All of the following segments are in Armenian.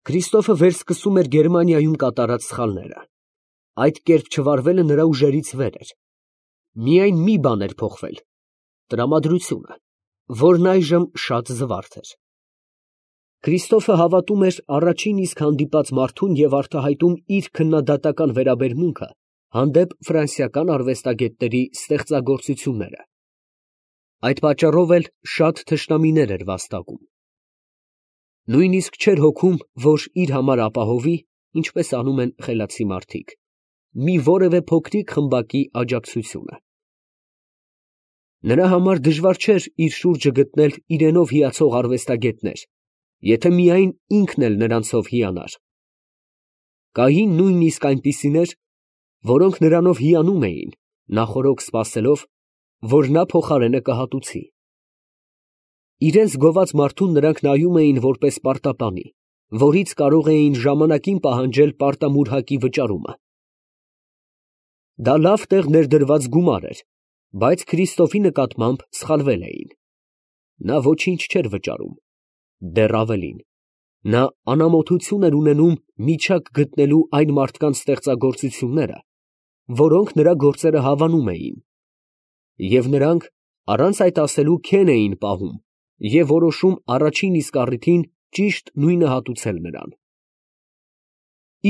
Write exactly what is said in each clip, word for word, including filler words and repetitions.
Քրիստոֆը վերսկսում էր Գերմանիայում կատարած սխալները. այդ կերպ չվարվելը նրա ուժերից վեր էր. միայն մի բան էր փոխվել՝ տրամադրությունը, որն այժմ շատ զվարթ էր։ Քրիստոֆը հավատում էր առաջին իսկ հանդիպած մարդուն և արտահայտում իր քննադատական վերաբերմունքը հանդեպ ֆրանսիական արվեստագետների ստեղծագործությունները։ Այդ պատճառով էլ շատ թշնամիներ էր վաստակում։ Նույնիսկ չէր հոգում, որ իր համար ապահովի, ինչպես անում են խելացի մարդիկ, մի որևէ փոքրիկ խմբակի աջակցությունը։ Նրա համար դժվար չէր իր շուրջը գտնել իրենով հիացող արվեստագետներ, եթե միայն ինքն էլ նրանցով հիանար։ Կային նույնիսկ այնպիսիներ, որոնք նրանով հիանում էին, նախօրոք սպասելով, որ նա փոխարենը կհատուցի։ Իրենց գոված մարդուն նրանք նայում էին որպես պարտապանի, որից կարող էին ժամանակին պահանջել պարտամուրհակի վճարումը։ Դա լավ տեղ ներդրված գումար էր, բայց Քրիստոֆի նկատմամբ սխալվել էին։ Նա ոչինչ չէր վճարում, դեռ ավելին, նա անամոթություն էր ունենում միջակ գտնելու այն մարդկանց ստեղծագործությունները, որոնք նրա գործերը հավանում էին, և նրանք առանց այդ ասելու քեն էին պահում և որոշում առաջին իսկ առիթին ճիշտ նույնը հատուցել նրան։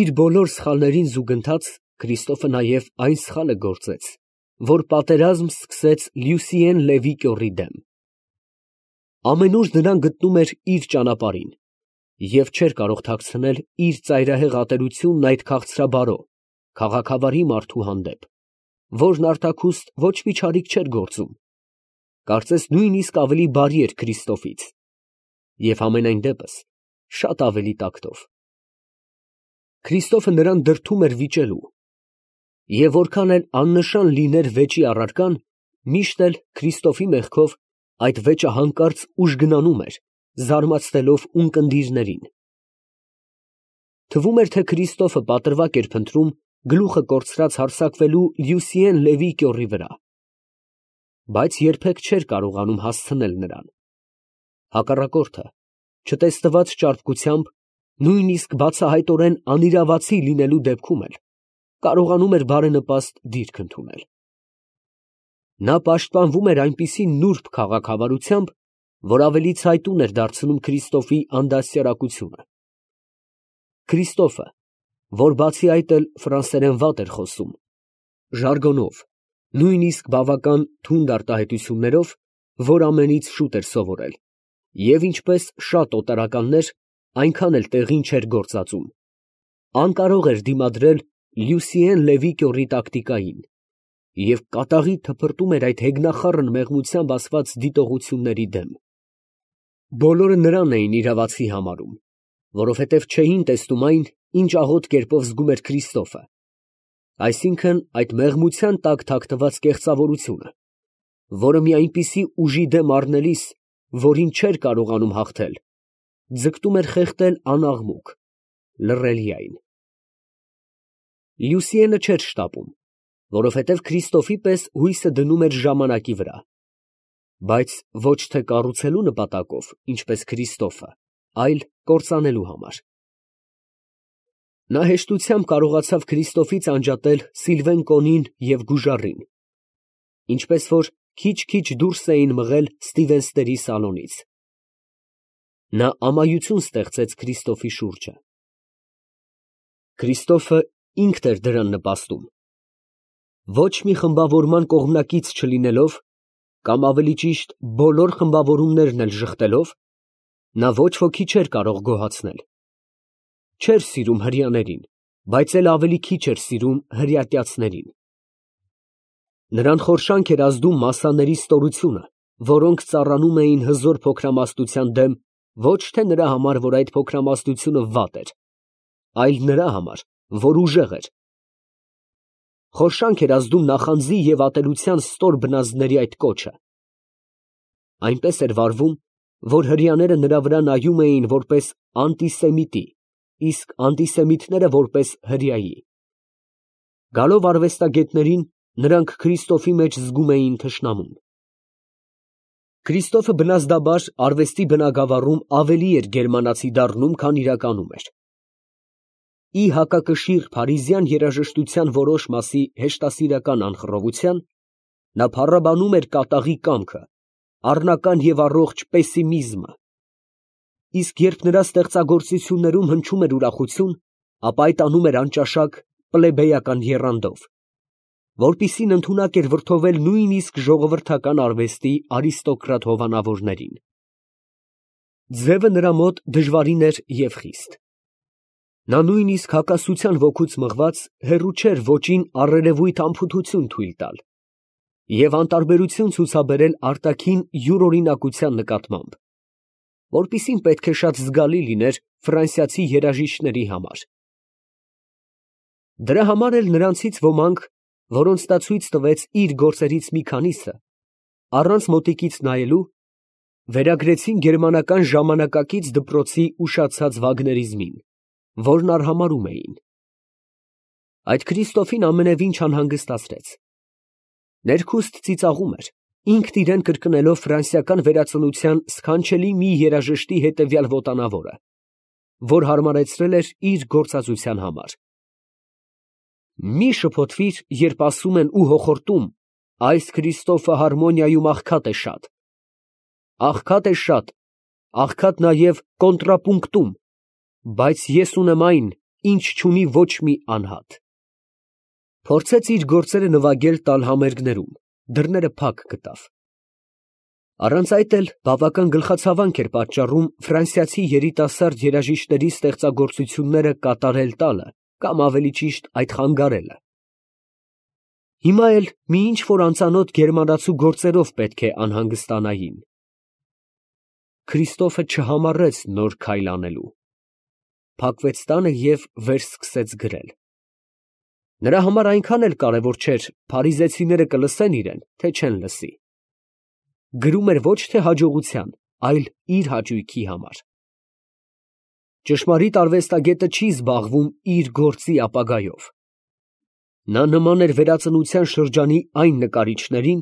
Իր բոլոր սխալներին զուգընթաց Քրիստոֆը նաև այն սխալը գործեց, որ պատերազմ սկսեց Լյուսիեն Լևի կյոռի դեմ։ Ամենուր նրան գտնում էր իր ճանապարհին և չէր կարող թաքցնել իր ծայրահեղ ատելությունն այդ քաղցրաբարո, քաղաքավարի մարդու հանդեպ, որն արտաքուստ ոչ մի չարիք չէր գործում, կարծես նույնիսկ ավելի բարի էր Քրիստոֆից և համենայն դեպս շատ ավելի տակտով։ Քրիստոֆը նրան դրդում էր վիճելու, և որքան էլ աննշան լիներ վեճի առարկան, միշտ էլ Քրիստոֆի մեղքով այդ վեճը հանկարծ ուժգնանում էր, զարմացնելով ունկնդիրներին։ Թվում էր, թե Քրիստոֆը պատրվակ էր փնտրում գլուխը կորցրած հարձակվելու Լյուսիեն Լևի կյոռի վրա, բայց երբեք չէր կարողանում հասցնել նրան։ Հակառակորդը, չտեսնված ճարպկությամբ, նույնիսկ բացահայտորեն անիրավացի լինելու դեպքում էլ կարողանում էր բարենպաստ դիրք ընդունել։ Նա պաշտպանվում էր այնպիսի նուրբ քաղաքավարությամբ, որ ավելի ցայտուն էր դարձնում Քրիստոֆի անդաստիարակությունը։ Քրիստոֆը, որ բացի այդ էլ ֆրանսերեն վատ էր խոսում, ժարգոնով, նույնիսկ բավական թունդ արտահայտություններով, որ ամենից շուտ էր սովորել, և ինչպես շատ օտարականներ, այնքան էլ տեղին չէր գործածում, անկարող էր դիմադրել Լյուսիեն Լևի կյոռի տակտիկային և կատաղի թփրտում էր այդ հեգնախառն մեղմությամբ ասված դիտողությունների դեմ։ Բոլորը նրան էին իրավացի համարում, որովհետև չէին տեսնում այն, ինչ աղոտ կերպով զգում էր Քրիստոֆը, այսինքն այդ մեղմության տակ թաքնված կեղծավորությունը, որը մի այնպիսի ուժի դեմ առնելիս, որին չէր կարողանում հաղթել, ձգտում էր խեղդել անաղմուկ, լռելիայն։ Լյուսիենը չէր շտապում, որովհետև Քրիստոֆի պես հույսը դնում էր ժամանակի վրա, բայց ոչ թե կառուցելու նպատակով, ինչպես Քրիստոֆը, այլ կործանելու համար։ Նա հեշտությամբ կարողացավ Քրիստոֆից անջատել Սիլվեն Կոնին և Գուժարին, ինչպես որ քիչ֊քիչ դուրս էին մղել Ստիվենսների սալոնից։ Նա ամայություն ստեղծեց Քրիստոֆի շուրջը։ Քրիստոֆը ինքն էր դրան նպաստում։ Ոչ մի խմբավորման կողմնակից չլինելով, կամ ավելի ճիշտ բոլոր խմբավորումներն էլ ժխտելով, նա ոչ ոքի չէր կարող գոհացնել։ Չէր սիրում հրեաներին, բայց էլ ավելի քիչ էր սիրում հրեատյացներին։ Նրան խորշանք էր ազդում մասսաների ստորությունը, որոնք ծառանում էին հզոր փոքրամասնության դեմ ոչ թե նրա համար, որ այդ փոքրամասնությունը վատ էր, այլ նրա համար, որ ուժեղ էր։ Խորշանք էր ազդում նախանձի և ատելության ստոր բնազդների այդ կոչը։ Այնպես էր վարվում, որ հրեաները նրա վրա նայում էին որպես անտիսեմիտի, իսկ անտիսեմիտները որպես հրեայի։ Գալով արվեստագետներին, նրանք Քրիստոֆի մեջ զգում էին թշնամուն։ Քրիստոֆը բնազդաբար արվեստի բնագավառում ավելի էր գերմանացի դառնում, քան իրականում էր։ ի հակակշիռ փարիզյան երաժշտության որոշ մասի հեշտասիրական անխռովության, նա փառաբանում էր կատաղի կամքը, առնական և առողջ պեսիմիզմը, իսկ երբ նրա ստեղծագործություններում հնչում էր ուրախություն, ապա այդ անում էր անճաշակ պլեբեյական եռանդով, որպիսին ընդունակ էր վրդովել նույնիսկ ժողովրդական արվեստի արիստոկրատ հովանավորներին։ Ձևը նրա մոտ դժվարին էր և խիստ։ Նա նույնիսկ հակասության ոգուց մղված հեռու չէր ոճին առերևույթ անփութություն թույլ տալ և անտարբերություն ցուցաբերել արտաքին յուրօրինակության նկատմամբ, որպիսին պետք է շատ զգալի լիներ ֆրանսիացի երաժիշտների համար։ Դրա համար էլ նրանցից ոմանք, որոնց նա ցույց տվեց իր գործերից մի քանիսը, առանց մոտիկից նայելու, վերագրեցին գերմանական ժամանակակից դպրոցի ուշացած վագներիզմին, որն արհամարհում էին։ Այդ Քրիստոֆին ամենևին չանհանգստացրեց։ Ներքուստ ծիծաղում էր, ինքն իրան կրկնելով ֆրանսիական վերածնության սքանչելի մի երաժշտի հետևյալ ոտանավորը, որ հարմարեցրել էր իր գործածության համար. «Մի շփոթվիր, երբ ասում են ու հոխորտում. այս Քրիստոֆը հարմոնիայում աղքատ է շատ։ Աղքատ է շատ, աղքատ նաև կոնտրապունկտում, բայց ես ունեմ այն, ինչ չունի ոչ մի անհատ»։ Փորձեց իր գործերը նվագել տալ համերգներում, դռները փակ գտավ։ Առանց այդ էլ բավական գլխացավանք էր պատճառում ֆրանսիացի երիտասարդ երաժիշտների ստեղծագործությունները կատարել տալը կամ ավելի ճիշտ այդ խանգարելը։ Հիմա էլ մի ինչ֊որ անծանոթ գերմանացու գործերով պետք է անհանգստանային։ Քրիստոֆը չհամառեց նոր քայլ անելու։ Փակվեց տանը և վերսկսեց գրել։ Նրա համար այնքան էլ կարևոր չէր փարիզեցիները կլսեն իրեն, թե չեն լսի։ Գրում էր ոչ թե հաջողության, այլ իր հաճույքի համար։ Ճշմարիտ արվեստագետը չի զբաղվում իր գործի ապագայով։ Նա նման էր վերածնության շրջանի այն նկարիչներին,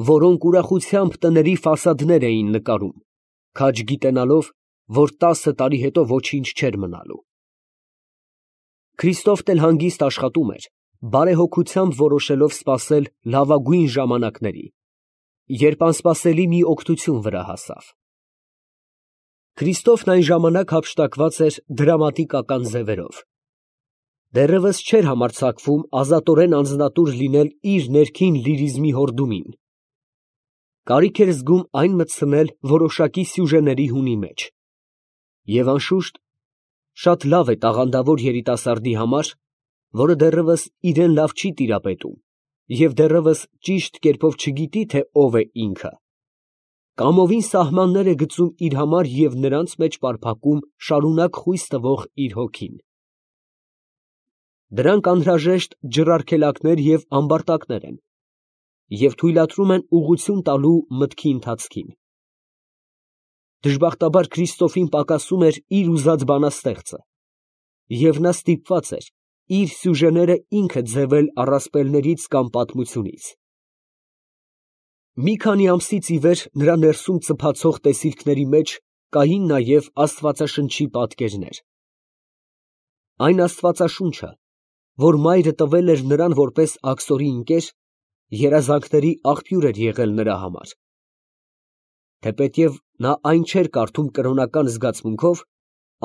որոնք ուրախությամբ տների ֆասադներ էին նկարում, քաջ գիտենալով, որ տասը տարի հետո ոչինչ չէր մնալու։ Քրիստոֆն էլ հանգիստ աշխատում էր, բարեհոգությամբ որոշելով սպասել լավագույն ժամանակների, երբ անսպասելի մի օգնություն վրա հասավ։ Քրիստոֆն այն ժամանակ հափշտակված էր դրամատիկական ձևերով։ Դեռևս չէր համարձակվում ազատորեն անձնատուր լինել իր ներքին լիրիզմի հորդումին։ Կարիք էր զգում այն մտցնել որոշակի սյուժեների հունի մեջ։ Եվ անշուշտ, շատ լավ է տաղանդավոր երիտասարդի համար, որը դեռևս իրեն լավ չի տիրապետում և դեռևս ճիշտ կերպով չգիտի, թե ով է ինքը, կամովին սահմաններ է գծում իր համար և նրանց մեջ պարփակում շարունակ խույս տվող իր հոգին։ Դրանք անհրաժեշտ ջրարգելակներ և ամբարտակներ են և թույլատրում են ուղղություն տալու մտքի ընթացքին։ Դժբախտաբար Քրիստոֆին պակասում էր իր ուզած բանաստեղծը, և նա ստիպված էր իր սյուժեները ինքը ձևել առասպելներից կամ պատմությունից։ Մի քանի ամսից ի վեր նրա ներսում ծփացող տեսիլքների մեջ կային նաև աստվածաշնչի պատկերներ։ Այն աստվածաշունչը, որ մայրը տվել էր նրան որպես աքսորի ընկեր, երազանքների աղբյուր էր եղել նրա համար։ Թեպետև նա այն չէր կարդում կրոնական զգացմունքով,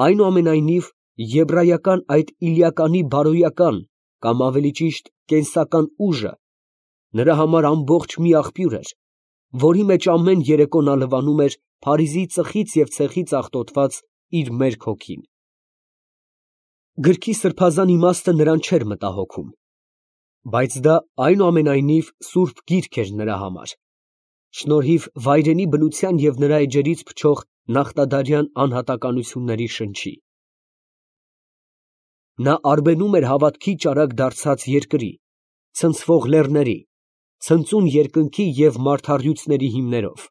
այնուամենայնիվ եբրայական այդ իլիականի բարոյական կամ ավելի ճիշտ կենսական ուժը նրա համար ամբողջ մի աղբյուր էր, որի մեջ ամեն երեկո նա լվանում էր Փարիզի ծխից և ցեխից աղտոտված իր մերկ հոգին։ Գրքի սրբազան իմաստը նրան չէր մտահոգում, բայց դա այնուամենայնիվ սուրբ գիրք էր նրա համար, շնորհիվ վայրենի բնության և նրա էջերից փչող նախտադարյան անհատականությունների շնչի։ Նա արբենում էր հավատքի ճարակ դարձած երկրի, ցնցվող լեռների, ցնծուն երկնքի և մարդառյուծների հիմներով։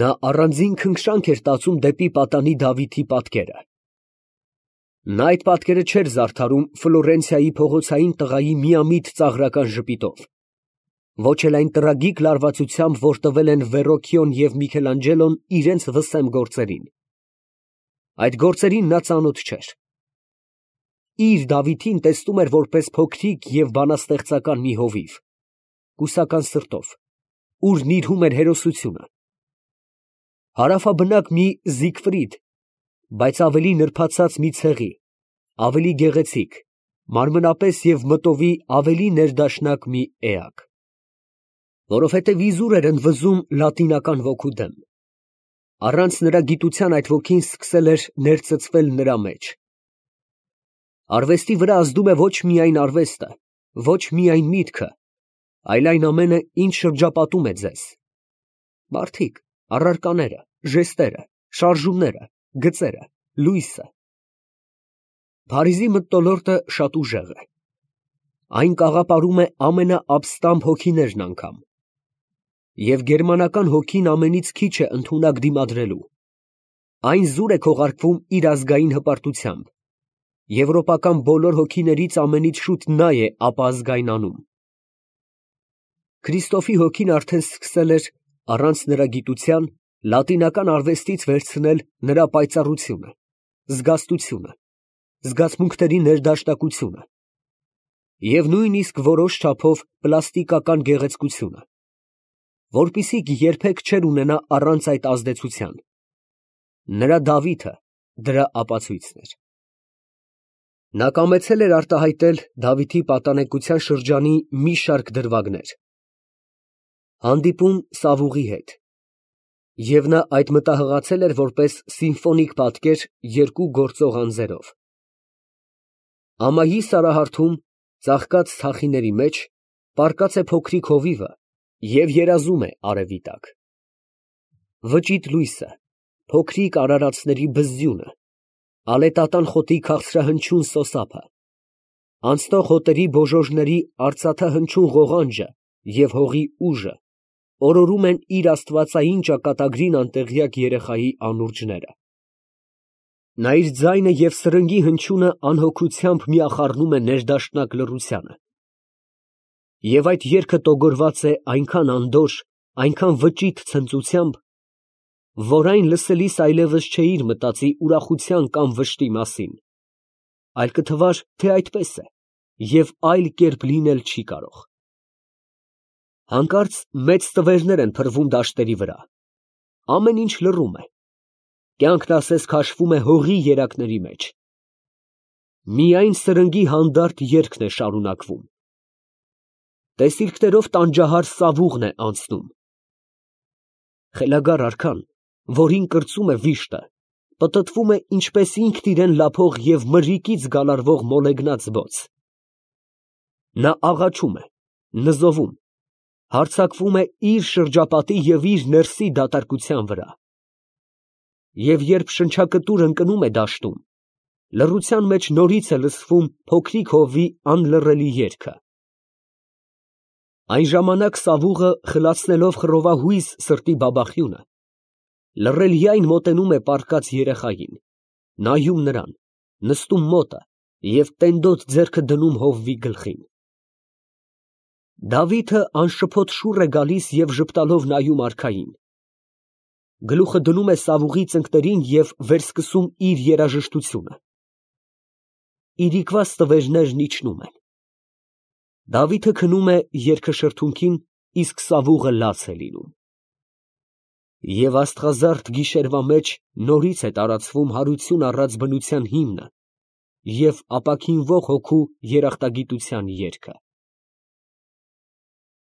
Նա առանձին քնքշանք էր տածում դեպի պատանի Դավիթի պատկերը։ Նա այդ պատկերը չէր զարդարում Ֆլորենցիայի փողոցային տղայի միամիտ ծաղրական ժպիտով, ոչ էլ այն տրագիկ լարվածությամբ, որ տվել են Վերոքյոն և Միքելանջելոն իրենց վսեմ գործերին։ Այդ գործերին նա ծանոթ չէր, իր Դավիթին տեսնում էր որպես փոքրիկ և բանաստեղծական մի հովիվ, կուսական սրտով, ուր նիրհում էր հերոսությունը, հարավաբնակ մի Զիգֆրիդ, բայց ավելի նրբացած մի ցեղի, ավելի գեղեցիկ, մարմնապես և մտովի ավելի ներդաշնակ մի էակ, որովհետև իզուր էր ընդվզում լատինական ոգու դեմ, առանց նրա գիտության այդ ոգին սկսել էր ներծծվել նրա մեջ։ Արվեստի վրա ազդում է ոչ միայն արվեստը, ոչ միայն միտքը, այլ այն ամենը, ինչ շրջապատում է ձեզ. մարդիկ, առարկաները, ժեստերը, շարժումները, գծերը, լույսը։ Փարիզի մթնոլորտը շատ ուժեղ է, այն կաղապարում է ամենաապստամբ հոգիներն անգամ, և գերմանական հոգին ամենից քիչ է ընդունակ դիմադրելու, այն զուր է քողարկվում իր ազգային հպարտությամբ, եվրոպական բոլոր հոգիներից ամենից շուտ նա է ապազգայնանում։ Քրիստոֆի հոգին արդեն սկսել էր, առանց նրա գիտության, լատինական արվեստից վերցնել նրա պայծառությունը, զգաստությունը, զգացմունքների ներդաշնակությունը և նույնիսկ որոշ չափով պլաստիկական գեղեցկությունը, որպիսիք երբեք չէր ունենա առանց այդ ազդեցության։ Նրա Դավիթը դրա ապացույցն էր։ Նա կամեցել էր արտահայտել Դավիթի պատանեկության շրջանի մի շարք դրվագներ. հանդիպում Սավուղի հետ, և նա այդ մտահղացել էր որպես սիմֆոնիկ պատկեր երկու գործող անձերով. ամայի սարահարթում, ծաղկած թախիների մեջ, պառկած է փոքրիկ հովիվը և երազում է արևի տակ. վճիտ լույսը, փոքրիկ արարածների բզզյունը, ալետատան խոտի քաղցրահնչյուն սոսափը, անցնող հոտերի բոժոժների արծաթահնչյուն ղողանջը և հողի ուժը օրորում են իր աստվածային ճակատագրին անտեղյակ երեխայի անուրջները։ Նա իր ձայնը և սրնգի հնչյունը անհոգությամբ միախառնում է ներդաշնակ լռությանը, և այդ երգը տոգորված է այնքան անդորր, այնքան վճիտ ցնծությամբ, որ այն լսելիս այլևս չէիր մտածի ուրախության կամ վշտի մասին, այլ կթվար, թե այդպես է և այլ կերպ լինել չի կարող։ Հանկարծ մեծ տվերներ են փռվում դաշտերի վրա, ամեն ինչ լռում է, կյանքն ասես քաշվում է հողի երակների մեջ, միայն սրնգի հանդարտ երգն է շարունակվում։ Տեսիլքներով տանջահար Սավուղն է անցնում։ Խելագար արքան, որին կրծում է վիշտը, պտտվում է ինչպես ինքն իրան լափող և մրրիկից գալարվող մոլեգնած բոց։ Նա աղաչում է, նզովում, հարձակվում է իր շրջապատի և իր ներսի դատարկության վրա։ Եվ երբ շնչակտուր ընկնում է դաշտում, լռության մեջ նորից է լսվում փոքրիկ հովվի անլռելի երգը։ Այն ժամանակ Սավուղը, խլացնելով խռովահույզ սրտի բաբախյունը, լռելյայն մոտենում է պառկած երեխային, նայում նրան, նստում մոտը և տենդոտ ձեռքը դնում հովվի գլխին։ Դավիթը անշփոթ շուռ է գալիս և ժպտալով նայում արքային, գլուխը դնում է Սավուղի ծնկներին և վերսկսում իր երաժշտությունը։ Իրիկվա ստվերներն իջնում են։ Դավիթը քնում է երգաշրթունքին, իսկ Սավուղը լաց է լինում։ Եվ աստղազարդ գիշերվա մեջ նորից է տարածվում հարություն առած բնության հիմնը և ապաքինվող հոգու երախտագիտության երգը։